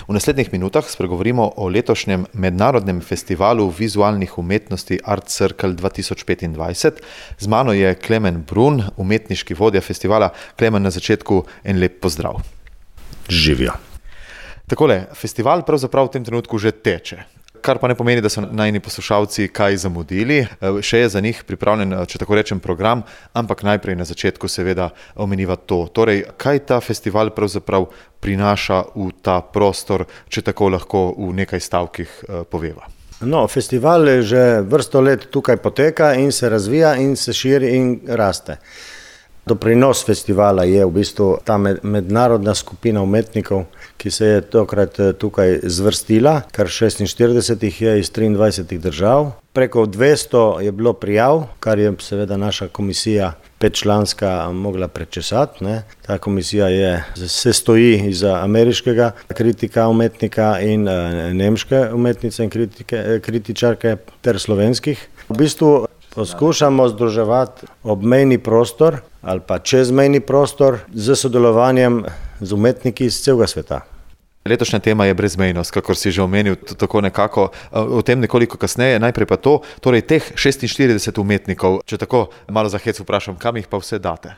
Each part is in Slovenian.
V naslednjih minutah spregovorimo o letošnjem mednarodnem festivalu vizualnih umetnosti Art Circle 2025. Z mano je Klemen Brun, umetniški vodja festivala. Klemen, na začetku en lep pozdrav. Živijo. Takole, festival pravzaprav v tem trenutku že teče. Kar pa ne pomeni, da so najni poslušalci kaj zamudili. Še je za njih pripravljen, če tako rečem, program, ampak najprej na začetku seveda omeniva to. Torej, kaj ta festival pravzaprav prinaša v ta prostor, če tako lahko v nekaj stavkih poveva? No, festival že vrsto let tukaj poteka in se razvija in se širi in raste. Doprinos festivala je v bistvu ta mednarodna skupina umetnikov, ki se je tokrat tukaj zvrstila, kar 46 jih je iz 23 držav. Preko 200 je bilo prijav, kar je seveda naša komisija petčlanska mogla prečesati. Ta komisija se stoji iz ameriškega kritika umetnika in nemške umetnice in kritičarke ter slovenskih. V bistvu poskušamo združevati obmejni prostor ali pa čezmejni prostor z sodelovanjem z umetniki iz celega sveta. Letošnja tema je brezmejnost, kakor si že omenil, tako nekako, o tem nekoliko kasneje. Najprej pa to, torej teh 46 umetnikov, če tako malo za hec vprašam, kam jih pa vse date?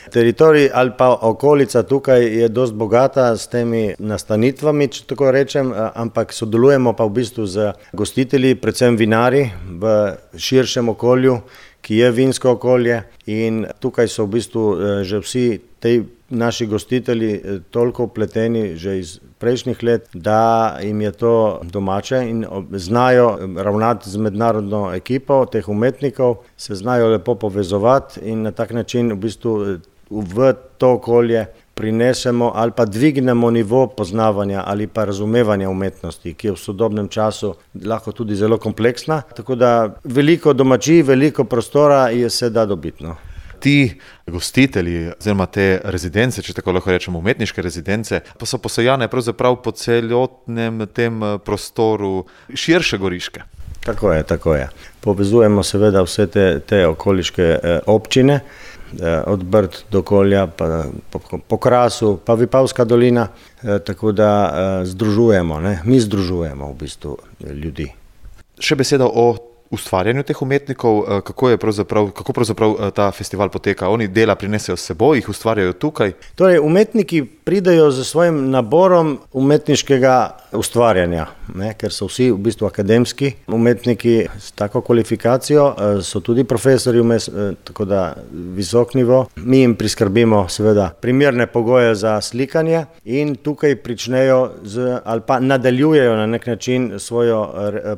Teritorij ali pa okolica tukaj je dosti bogata s temi nastanitvami, če tako rečem, ampak sodelujemo pa v bistvu z gostitelji, predvsem vinari v širšem okolju, ki je vinsko okolje, in tukaj so v bistvu že vsi tej naši gostitelji toliko vpleteni že iz prejšnjih let, da jim je to domače in znajo ravnati z mednarodno ekipo teh umetnikov, se znajo lepo povezovati in na tak način v bistvu v to okolje prinesemo ali pa dvignemo nivo poznavanja ali pa razumevanja umetnosti, ki je v sodobnem času lahko tudi zelo kompleksna. Tako da veliko domačij, veliko prostora se da dobiti. Ti gostitelji, oziroma te rezidence, če tako lahko rečemo, umetniške rezidence, pa so posejane pravzaprav po celotnem tem prostoru širše Goriške. Tako je. Povezujemo seveda vse te okoliške občine, od Brd do Kolja, pa po Krasu, pa Vipavska dolina, tako da združujemo, mi združujemo v bistvu ljudi. Še beseda o ustvarjanju teh umetnikov, kako pravzaprav ta festival poteka? Oni dela prinesejo s seboj, jih ustvarjajo tukaj? Torej, umetniki pridejo z svojim naborom umetniškega ustvarjanja, ker so vsi v bistvu akademski umetniki s tako kvalifikacijo, so tudi profesori vmes, tako da visok nivo. Mi jim priskrbimo seveda primerne pogoje za slikanje in tukaj pričnejo ali pa nadaljujejo na nek način svojo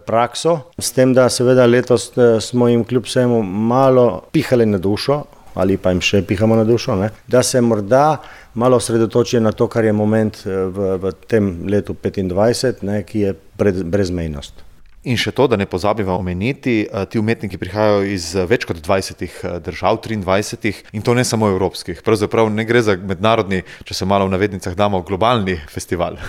prakso, s tem, da seveda letos smo jim kljub vsemu malo pihali na dušo, ali pa jim še pihamo na dušo, da se morda malo osredotočijo na to, kar je moment v tem letu 25, ki je brezmejnost. In še to, da ne pozabiva omeniti, ti umetniki prihajajo iz več kot 20 držav, 23, in to ne samo evropskih. Pravzaprav ne gre za mednarodni, če se malo v navednicah damo, globalni festival.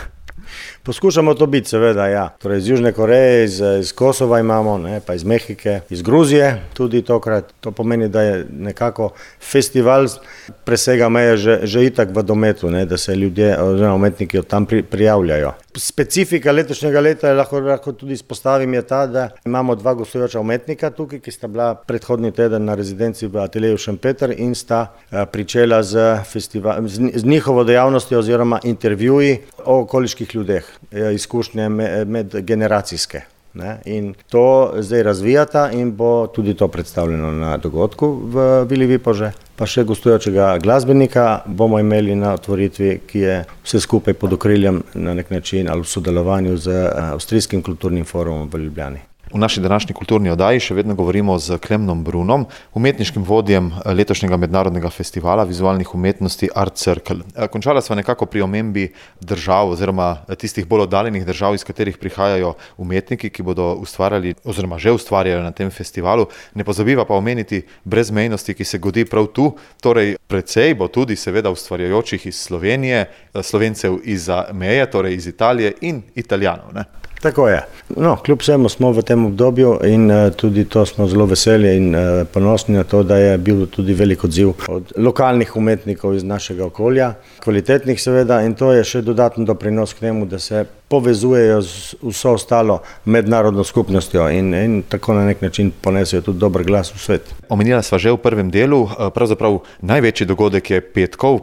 Poskušamo to biti, seveda, ja. Torej iz Južne Koreje, iz Kosova imamo, pa iz Mehike, iz Gruzije tudi tokrat. To pomeni, da je nekako festival presega meje že itak v dometu, da se ljudje oziroma umetniki od tam prijavljajo. Specifika letošnjega leta, lahko tudi izpostavim, je ta, da imamo dva gostujoča umetnika tukaj, ki sta bila predhodni teden na rezidenci v ateljeju Šempeter in sta pričela z njihovo dejavnostjo oziroma intervjuji o okoliških ljudeh, izkušnje medgeneracijske. In to zdaj razvijata in bo tudi to predstavljeno na dogodku v Vili Vipože. Pa še gostujočega glasbenika bomo imeli na otvoritvi, ki je vse skupaj pod okriljem na nek način ali v sodelovanju z Avstrijskim kulturnim forumom v Ljubljani. V naši današnji kulturni oddaji še vedno govorimo z Klemenom Brunom, umetniškim vodjem letošnjega mednarodnega festivala vizualnih umetnosti Art Circle. Končala sva nekako pri omembi držav oziroma tistih bolj oddaljenih držav, iz katerih prihajajo umetniki, ki bodo ustvarjali oziroma že ustvarjajo na tem festivalu. Ne pozabiva pa omeniti brezmejnosti, ki se godi prav tu. Torej, precej bo tudi seveda ustvarjajočih iz Slovenije, Slovencev izza meje, torej iz Italije in Italijanov, Tako je. No, kljub vsemu smo v tem obdobju in tudi to smo zelo veseli in ponosni na to, da je bil tudi velik odziv od lokalnih umetnikov iz našega okolja, kvalitetnih seveda, in to je še dodaten doprinos k temu, da se povezujejo z vso ostalo mednarodno skupnostjo in tako na nek način ponesejo tudi dober glas v svet. Omenila sva že v prvem delu, pravzaprav največji dogodek je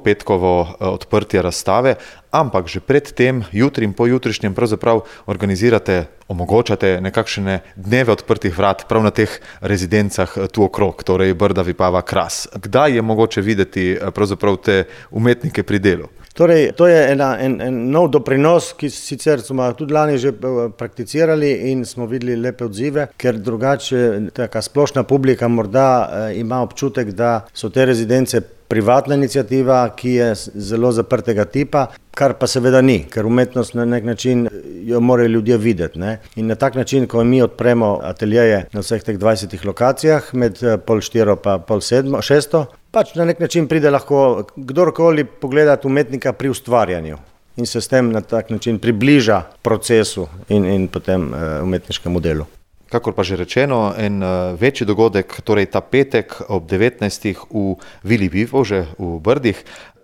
petkovo odprtje razstave, ampak že pred tem, jutri in pojutrišnjem pravzaprav omogočate nekakšne dneve odprtih vrat prav na teh rezidencah tu okrog, torej Brda, Vipava, Kras. Kdaj je mogoče videti pravzaprav te umetnike pri delu? Torej, to je en nov doprinos, ki sicer smo tudi lani že prakticirali in smo videli lepe odzive, ker drugače taka splošna publika morda ima občutek, da so te rezidence privatna iniciativa, ki je zelo zaprtega tipa, kar pa seveda ni, ker umetnost na nek način jo morajo ljudje videti, ne? In na tak način, ko mi odpremo ateljeje na vseh teh 20 lokacijah, med 3:30 pa 5:30, 6:00, pač na nek način pride lahko kdorkoli pogledati umetnika pri ustvarjanju in se s tem na tak način približa procesu in potem umetniškemu delu. Kakor pa že rečeno, en večji dogodek, torej ta petek ob 19. v Vili Vivo, že v Brdih.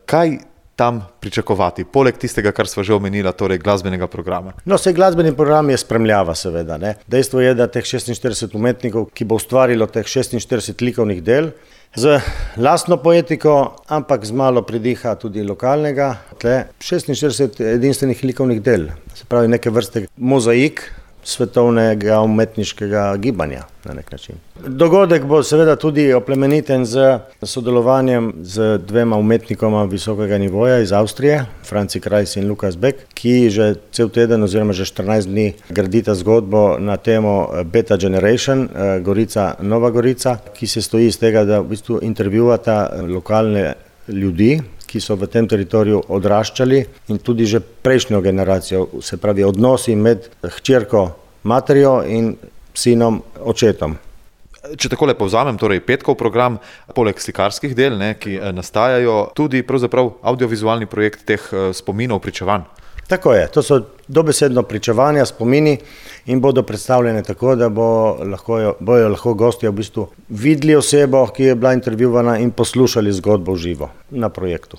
Kaj tam pričakovati, poleg tistega, kar sva že omenila, torej glasbenega programa? No, vse glasbeni program je spremljava seveda, ne. Dejstvo je, da teh 46 umetnikov, ki bo ustvarilo teh 46 likovnih del, z lastno poetiko, ampak z malo pridiha tudi lokalnega, 46 edinstvenih likovnih del, se pravi neke vrste mozaik svetovnega umetniškega gibanja na nek način. Dogodek bo seveda tudi oplemeniten z sodelovanjem z dvema umetnikoma visokega nivoja iz Avstrije, Franci Krajs in Lukas Beck, ki že cel teden oziroma že 14 dni gradita zgodbo na temo Beta Generation, Gorica, Nova Gorica, ki se stoji iz tega, da v bistvu intervjuvata lokalne ljudi, ki so v tem teritoriju odraščali in tudi že prejšnjo generacijo, se pravi odnosi med hčerko materjo in sinom očetom. Če takole povzamem, torej petkov program, poleg slikarskih del, ki nastajajo, tudi pravzaprav audiovizualni projekt teh spominov, pričevanj. Tako je, to so dobesedno pričevanja, spomini in bodo predstavljene tako, da bojo lahko gostje v bistvu videli osebo, ki je bila intervjuvana in poslušali zgodbo v živo na projektu.